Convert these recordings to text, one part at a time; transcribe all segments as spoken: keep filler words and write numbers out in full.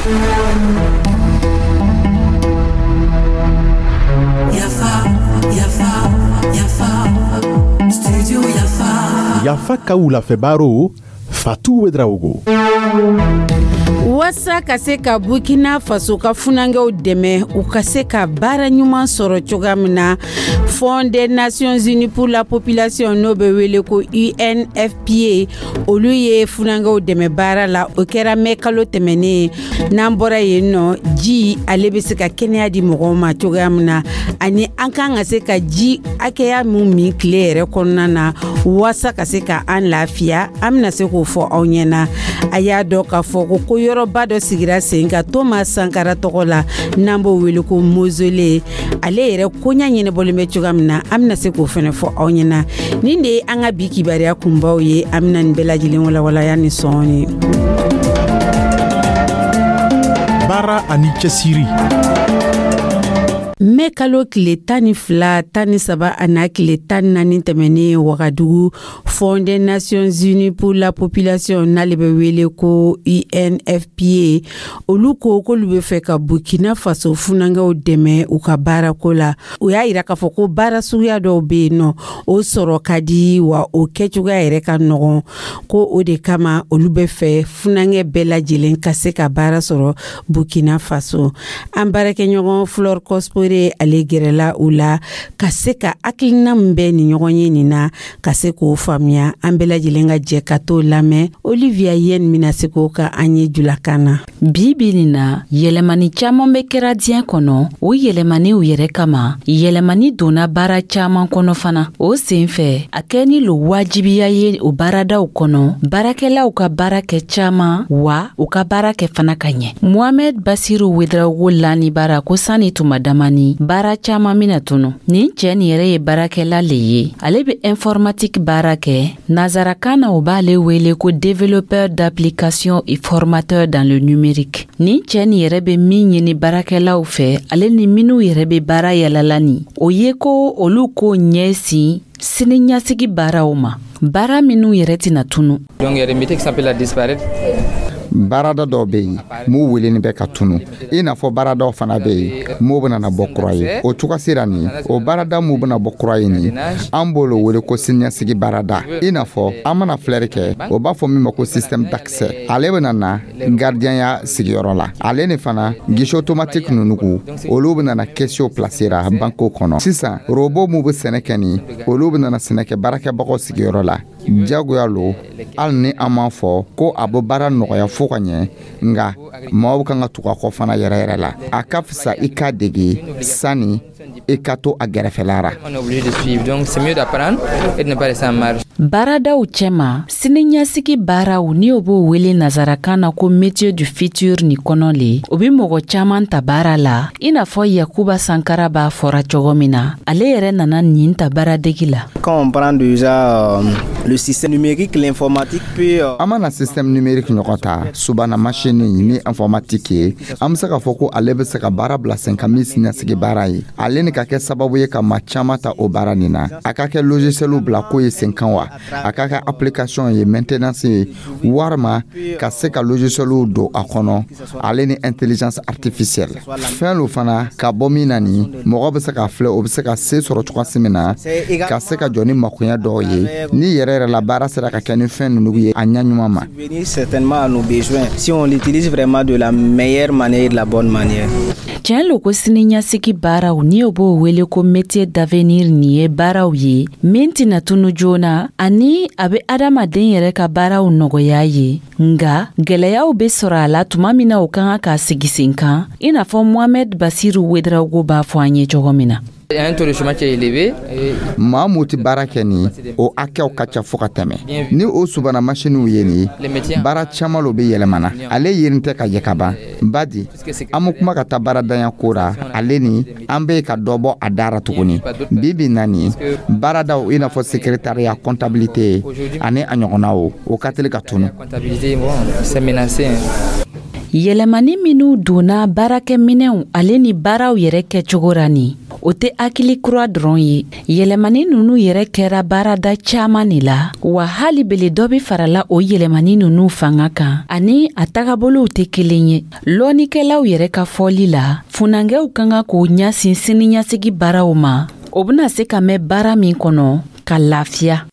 Yafa, Yafa, Yafa, Studio Yafa. Yafa ka wulafɛ baro, Fatu Ouédraogo. Waasa ka se ka Burkina Faso ka funankɛw dɛmɛ u ka se ka baara ɲuman sɔrɔ cogoya min na, Fonds des Nations Unies pour la population, n'o bɛ wele ko U N F P A, olu ye funankɛw dɛmɛ baara la. O kɛra mɛ kalo tɛmɛnen. N'an bɔra yen nɔ, ji, ale bɛ se ka kɛnɛya di mɔgɔw ma cogoya min na, ani an kan ka se ka ji hakɛya min min tile yɛrɛ kɔnɔna na waasa ka se ka an lafiya, an bɛna se k'o fɔ aw ɲɛna. A y'a dɔn k'a fɔ ko ko yɔrɔba dɔ sigira sen kan Thomas Sankara tɔgɔ la, n'an b'o wele ko mausolée. Ale yɛrɛ koɲa ɲɛnabɔlen bɛ cogoya min na, an bɛna se k'o fɛnɛ fɔ aw ɲɛna. Nin de ye an ka bi kibaruya kunbaw ye. An bɛna nin bɛɛ lajɛlen walawalaya ni sɔɔni. Baara ani cɛsiri. Mɛ kalo tile tan ni fila, tan ni saba, a n'a tile tan naani tɛmɛnen, Wagadugu, Fonds des Nations Unies pour la population, n'ale bɛ wele ko U N F P A, olu ko k'olu bɛ fɛ ka Burkina Faso funankɛw dɛmɛ u ka baarako la. U y'a yira k'a fɔ ko baara suguya dɔw bɛ yen nɔ, o sɔrɔ ka di wa, o kɛcogoya yɛrɛ ka nɔgɔn, ko o de kama olu bɛ fɛ funankɛ bɛɛ lajɛlen ka se ka baara sɔrɔ Burkina Faso. An baarakɛɲɔgɔn Flore Cospore, ale gɛrɛla u la ka se ka hakilina min bɛ nin ɲɔgɔn ye nin na, ka se k'o faamuya. An bɛɛ lajɛlen ka jɛ ka t'o lamɛn. Olivia Yen bɛna se k'o ka an ye julakan na. Bi bi nin na, yɛlɛmani caaman bɛ kɛra diɲɛ kɔnɔ. O yɛlɛmaniw yɛrɛ kama, yɛlɛmani donna baara caaman kɔnɔ fana. O sen fɛ, a kɛni lo wajibiya ye o baaradaw kɔnɔ, baarakɛlaw ka baara kɛ caaman wa, u ka baara kɛ fana ka ɲɛ. Mohamɛd Basiru Wedrawogo lani baara ko sanni tuma damani, baara caaman bena tunu. Nin cɛɛ nin yɛrɛ ye baarakɛla le ye, ale be informatique baara kɛ. Nazarakan na, o b'ale wele ko développeur d'application et formateur dans le numérique. Nin cɛɛ nin yɛrɛ be min ɲini baarakɛlaw fɛ, ale ni minw yɛrɛ be baara yalala nin, o ye ko olu k'o ɲɛsin sini ɲɛsigi baaraw ma, baara minw yɛrɛ tɛna tunu. Donc il y a des métiers qui sont appelés à disparaître. Baarada dɔw bɛ yen m'u weleni bɛ ka tunu, i n'a fɔ baaradaw fana bɛ yen m'o bɛna na bɔ kura ye. O cogo sera nin, o baarada m'u bɛna bɔ kura ye nin, an b'o wele ko siniɲɛsigi baarada. I n'a fɔ an mana filɛri kɛ, o b'a fɔ min ma ko système d'accès, ale bɛna na gardien sigiyɔrɔ la. Ale ni fana guichet automatique ninnu, olu bɛna na caissier placer ra banque kɔnɔ. Sisan robot m'u bɛ sɛnɛ kɛ nin, olu bɛna na sɛnɛ kɛ baarakɛbagaw sigiyɔrɔ la. Jagoya lo, hali ni an m'a fɔ ko a bɛ baara nɔgɔya fo ka ɲɛ, nka maaw kan ka tugu a kɔ fana yɛrɛ yɛrɛ la. A ka fisa i k'a dege sani i ka to a gɛrɛfɛla ra. On est obligé de suivre. Donc c'est mieux d'apprendre et de ne pas rester en marge. Baaradaw cɛma, siniɲɛsigi baaraw, ni o b'o wele nazarakan na ko métier du futur ni kɔnɔ le, o be mɔgɔ caaman ta baara la, i n'a fɔ Yakuba Sankara b'a fɔra cogo min na, ale yɛrɛ nana nin ta baaradegi la. Quand on prend déjà euh, le système numérique, l'informatique peut... Euh, An mana système numérique ɲɔgɔn ta, subana machine ni informatique ye, an be se k'a fɔ ko ale be se ka baara bila sen kan min siniɲɛsigi baara ye. Ale ni ka kɛ sababu ye ka maa caaman ta o baara nin na. A ka kɛ logiciel bila ko ye sen kan wa, a ka kɛ application ye, maintenance ye, warima ka se ka logiciel don a kɔnɔ, ale ni intelligence artificielle fɛn lo fana ka bɔ min na nin, mɔgɔ bɛ se k'a filɛ, o bɛ se ka se sɔrɔ cogoya min na ka se ka jɔ ni makoɲɛ dɔw ye, ni yɛrɛ yɛrɛ la baara sera ka kɛ ni fɛn ninnu ye a ɲɛ ɲuman ma. Certainement à nos besoins si on l'utilise vraiment de la meilleure manière et de la bonne manière. Tiɲɛ lo ko siniɲɛsigi baaraw, ni o b'o wele ko métier d'avenir nin, ye baaraw ye min tɛna tunu joona, ani a be adamaden yɛrɛ ka baaraw nɔgɔya ye. Nga gwɛlɛyaw be sɔrɔ a la tuma min na o ka kan k'a sigi sen kan, i n'a fɔ Mohamɛd Basiru Wedrawogo b'a fɔ an ye cogo min na. Il y a un taux de chômage qui est élevé. Et Maa mun tɛ baara kɛ nin, o hakɛw ka ca fo ka tɛmɛ. Ni o subana masiniw ye nin, baara caman lo bɛ yɛlɛmana, ale yerin tɛ ka ye ka ban. Badi an bɛ kuma ka taa baaradanya ko ra, ale ni an bɛ ka dɔ bɔ a dara tuguni. Bi bi na nin, baaradaw i n'a fɔ secrétariat, comptabilité ani a ɲɔgɔnnaw, o ka teli ka tunu. Comptabilité, bon, c'est menacé, hein. Yɛlɛmani minw donna baarakɛminɛw, ale ni baaraw yɛrɛ kɛcogo ra nin, O tɛ hakili kura dɔrɔn ye. Yɛlɛmani ninnu yɛrɛ kɛra baarada caman de la, wa hali bele dɔ bɛ farala o yɛlɛmani ninnu fanga kan ani a tagabolow tɛ kelen ye. Lɔnnikɛlaw yɛrɛ ka fɔli la, funankɛw ka kan k'o ɲɛsin siniɲɛsigi baaraw ma, o bɛna se ka mɛn baara min kɔnɔ ka lafiya.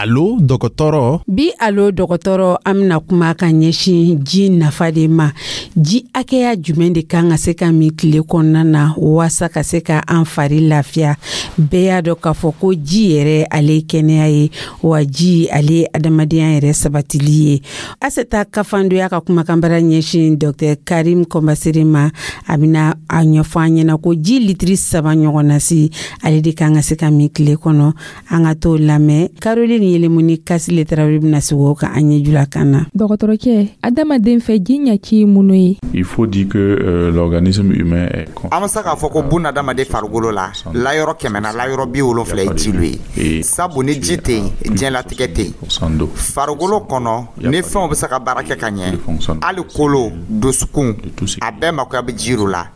Alo dɔgɔtɔrɔ. Bi alo dɔgɔtɔrɔ, an bɛna kuma ka ɲɛsin ji nafa de ma. Ji hakɛya jumɛn de kan ka se ka min tile kɔnɔna na waasa ka se ka an fari lafiya? Bɛɛ y'a dɔn k'a fɔ ko ji yɛrɛ ale ye kɛnɛya ye, wa ji ale ye adamadenya yɛrɛ sabatili ye. Aseta Kafandoya ka kumakanbara ɲɛsin Docteur Karim Kɔnbasere ma, a bɛna a ɲɛfɔ an ɲɛna ko ji litiri saba ɲɔgɔnna si ale de kan ka se ka min tile kɔnɔ. An ka t'o lamɛn. Caroline Yelemuni Kasile Tarawele bɛna sigi o kan an ɲɛ jula kan na. Dɔgɔtɔrɔcɛ, adamaden fɛ ji ɲɛci ye mun ye? Il faut dire que euh, l'organisme humain est An bɛ se k'a fɔ ko bunadamaden farikolo la, layɔrɔ kɛmɛ na, layɔrɔ bi wolonfila ye ji lo ye. Sabu ni ji tɛ yen, diɲɛlatigɛ tɛ yen. Farikolo kɔnɔ, ni fɛnw bɛ se ka baara kɛ ka ɲɛ, hali kolo, dusukun, a bɛɛ makoya bɛ ji lo la.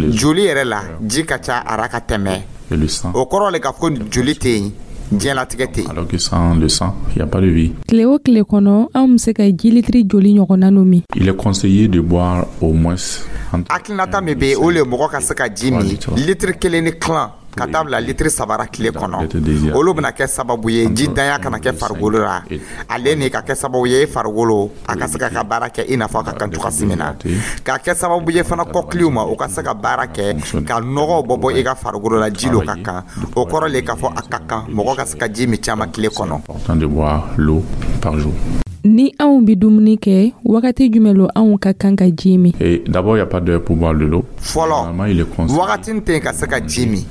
Joli yɛrɛ la, ji ka ca a ra ka tɛmɛ. O kɔrɔ le k'a fɔ ko joli tɛ yen, diɲɛlatigɛ tɛ yen. Alors que sans le sang, il n'y a pas de vie. Tile o tile kɔnɔ, anw bɛ se ka ji litiri joli ɲɔgɔnna no min? Il est conseillé de boire au moins Hakilinata min bɛ yen, o le ye mɔgɔ ka se ka ji min litiri kelen ni tilan ka taa bila litiri saba tile kɔnɔ. Olu bɛna kɛ sababu ye ji danya kana kɛ farikolo la, ale ni ka kɛ sababu ye farikolo a ka se ka ka baara kɛ i n'a fɔ a ka kan cogoya min na, ka kɛ sababu ye fana kɔkiliw ma, o ka se ka baara kɛ ka nɔgɔw bɔ bɔ i ka farikolo la, ji lo ka kan. O kɔrɔ le k'a fɔ a ka kan mɔgɔ ka se ka ji min caman tile kɔnɔ. Ni anw bɛ dumuni kɛ, wagati jumɛn lo anw ka kan ka ji min? Et d'abord, il n'y a pas d'heure pour boire de l'eau. Fɔlɔ, wagati tɛ yen ka se ka ji min.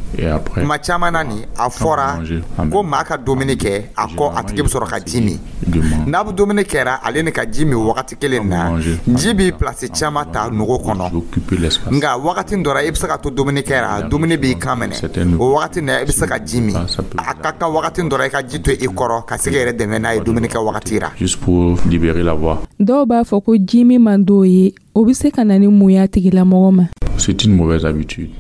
Kuma caman na nin, a fɔra ko maa ka dumuni kɛ, a kɔ a tigi bɛ sɔrɔ ka ji min. N'a bɛ dumuni kɛra, ale ni ka ji min wagati kelen na, ji b'i place caman ta nogo kɔnɔ. Nka wagati dɔ la, i bɛ se ka to dumuni kɛra, dumuni b'i kan minɛ, o wagati na i bɛ se ka ji min. A ka kan wagati dɔ la, i ka ji to i kɔrɔ ka se k'i yɛrɛ dɛmɛ n'a ye dumuni kɛ wagati la. Juste pour libérer la voie. Dɔw b'a fɔ ko ji min man d'o ye, o bɛ se ka na ni mun y'a tigilamɔgɔ ma? C'est une mauvaise habitude.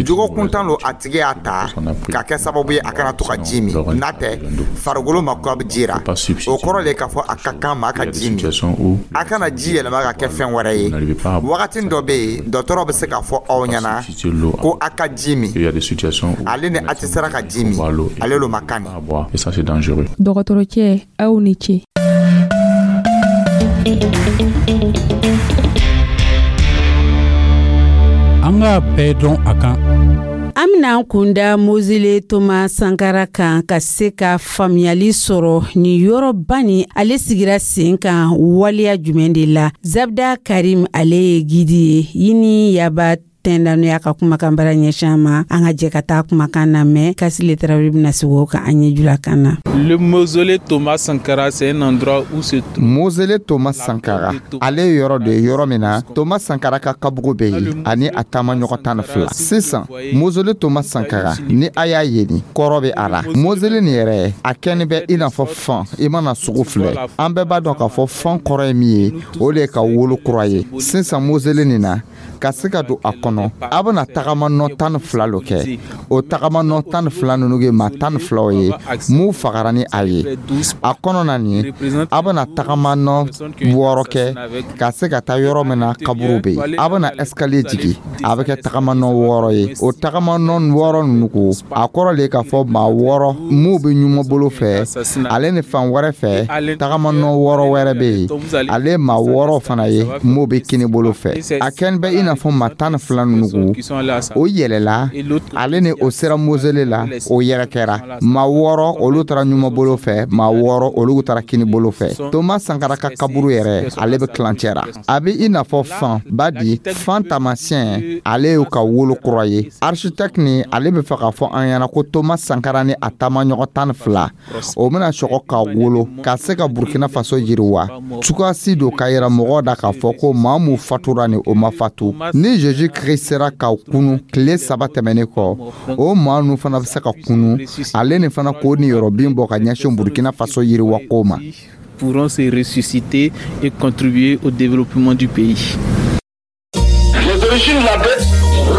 Jogo kuntan lo a tigi y'a ta ka kɛ sababu ye a kana to ka ji min. N'a tɛ, farikolo mako bɛ ji la. O kɔrɔ le k'a fɔ a ka kan maa ka ji min. A kana ji yɛlɛma ka kɛ fɛn wɛrɛ ye. Wagati dɔ bɛ yen, dɔgɔtɔrɔ bɛ se k'a fɔ aw ɲɛna ko a ka ji min. Ale ni a tɛ sera ka ji min, ale lo ma kan nin. Dɔgɔtɔrɔcɛ, aw ni ce. An k'a bɛɛ dɔn a kan. An bɛna an kunda Mausolée Thomas Sankara kan ka se ka faamuyali sɔrɔ nin yɔrɔba nin ale sigira sen kan waleya jumɛn de la. Zabda Karim ale ye gidi ye Yini Yaba Tɛndanuya ka kumakan bara ɲɛsin an ma. An ka jɛ ka taa kumakan na mɛn. Kasile Tarawele bɛna sigi o kan an ɲɛ jula kan na. Le mausolée Thomas Sankara, c'est un endroit où se trouve Mausolée Thomas Sankara, ale ye yɔrɔ de ye yɔrɔ min na Thomas Sankara ka kabugu bɛ yen ani a taamaɲɔgɔn tan ni fila. Sisan mausolée Thomas Sankara, ni a y'a ye nin kɔrɔ bɛ a la. Mausolée nin yɛrɛ a kɛni bɛ i n'a fɔ fan, i mana sugu filɛ, an bɛɛ b'a dɔn k'a fɔ fan kɔrɔ ye min ye, o de ye ka wolo kura ye. Sisan mausolée nin na, ka se ka don a kɔnɔ, a bɛna tagama nɔ tan ni fila lo kɛ. O tagama nɔ tan ni fila ninnu ye maa tan ni filaw ye mun fagara ni a ye. A kɔnɔ na nin, a bɛna tagama nɔ wɔɔrɔ kɛ ka se ka taa yɔrɔ min na kaburu bɛ yen. A bɛna escalier jigin, a bɛ kɛ tagama nɔ wɔɔrɔ ye. O tagama nɔ wɔɔrɔ ninnu ko, a kɔrɔ le k'a fɔ maa wɔɔrɔ mun bɛ ɲuman bolo fɛ, ale ni fan wɛrɛ fɛ tagama nɔ wɔɔrɔ wɛrɛ bɛ yen, ale maa wɔɔrɔ fana ye mun bɛ kini bolo fɛ. A kɛni bɛ i n'a fɔ maa tan ni fila ninnu ko, o yɛlɛla, ale ni o sera mausolée la, o yɛrɛ kɛra maa wɔɔrɔ, olu taara ɲuman bolo fɛ, maa wɔɔrɔ olu taara kini bolo fɛ. Thomas Sankara ka kaburu yɛrɛ, ale bɛ kilancɛ ra. A bɛ i n'a fɔ fan ba di fan taamasiyɛn, ale y'u ka wolo kura ye. Architecte ni ale bɛ fɛ k'a fɔ an ɲɛna ko Thomas Sankara ni a taamaɲɔgɔn tan ni fila, o bɛna sɔgɔ ka wolo ka se ka Burkina Faso yiriwa. Cogoya si don ka yira mɔgɔw da k'a fɔ ko maa mun fatura ni o ma fatu. Ni Jésus Christ sera ka kunu tile saba tɛmɛnen kɔ, o maa ninnu fana bɛ se ka kunu, ale ni fana k'o niyɔrɔbin bɔ ka ɲɛsin Burkina Faso yiriwako ma. pourront se ressusciter et contribuer au développement du pays. Les origines de la dette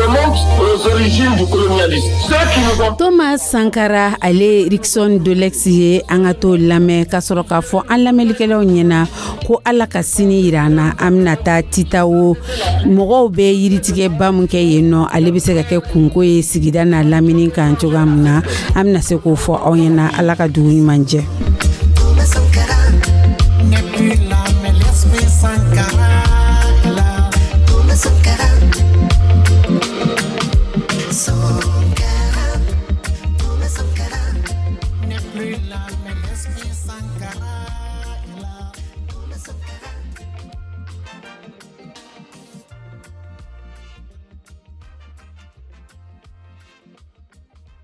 remontent aux origines du colonialisme. Ceux qui nous ont Thomas Sankara, ale Rickson Dolex ye, an ka t'o lamɛn ka sɔrɔ k'a fɔ an lamɛnlikɛlaw ɲɛna ko Ala ka sini yira an na, an bɛna taa Titawo. Mɔgɔw bɛ yiritigɛba min kɛ yen nɔ, ale bɛ se ka kɛ kunko ye sigida n'a lamini kan cogoya min na, an bɛna se k'o fɔ aw ɲɛna. Ala ka dugu ɲuman jɛ. N'est plus là, mais l'esprit Sankara est là. Thomas Sankara. Sankara. Thomas Sankara. N'est plus là, mais l'esprit Sankara est là. Thomas Sankara.